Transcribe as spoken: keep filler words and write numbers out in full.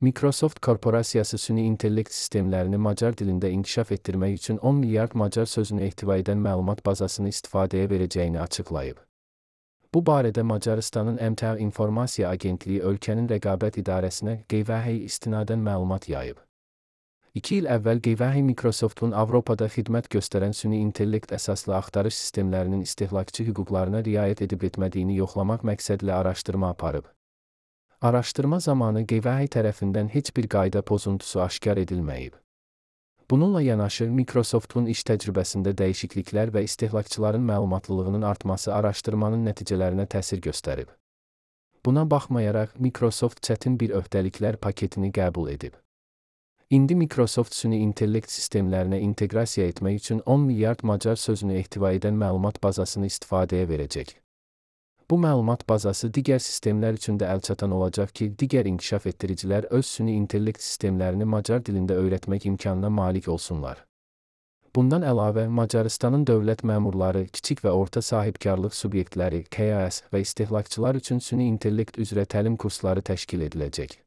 Microsoft korporasiyası süni intellekt sistemlərini Macar dilində inkişaf etdirmək üçün on milyard Macar sözünü ehtiva edən məlumat bazasını istifadəyə verəcəyini açıqlayıb. Bu barədə Macarıstanın M T A İnformasiya Agentliyi ölkənin rəqabət idarəsinə qeyvəhi istinadən məlumat yayıb. İki il əvvəl qeyvəhi Microsoftun Avropada xidmət göstərən süni intellekt əsaslı axtarış sistemlərinin istehlakçı hüquqlarına riayət edib etmədiyini yoxlamaq məqsədlə araşdırma aparıb. Araşdırma zamanı qeyvəhi tərəfindən heç bir qayda pozuntusu aşkar edilməyib. Bununla yanaşı, Microsoftun iş təcrübəsində dəyişikliklər və istehlakçıların məlumatlılığının artması araşdırmanın nəticələrinə təsir göstərib. Buna baxmayaraq, Microsoft çətin bir öhdəliklər paketini qəbul edib. İndi Microsoft süni intellekt sistemlərinə inteqrasiya etmək üçün on milyard Macar sözünü ehtiva edən məlumat bazasını istifadəyə verəcək. Bu məlumat bazası digər sistemlər üçün də əlçatan olacaq ki, digər inkişaf etdiricilər öz süni intellekt sistemlərini Macar dilində öyrətmək imkanına malik olsunlar. Bundan əlavə, Macarıstanın dövlət məmurları, kiçik və orta sahibkarlıq subyektləri, K A S və istehlakçılar üçün süni intellekt üzrə təlim kursları təşkil ediləcək.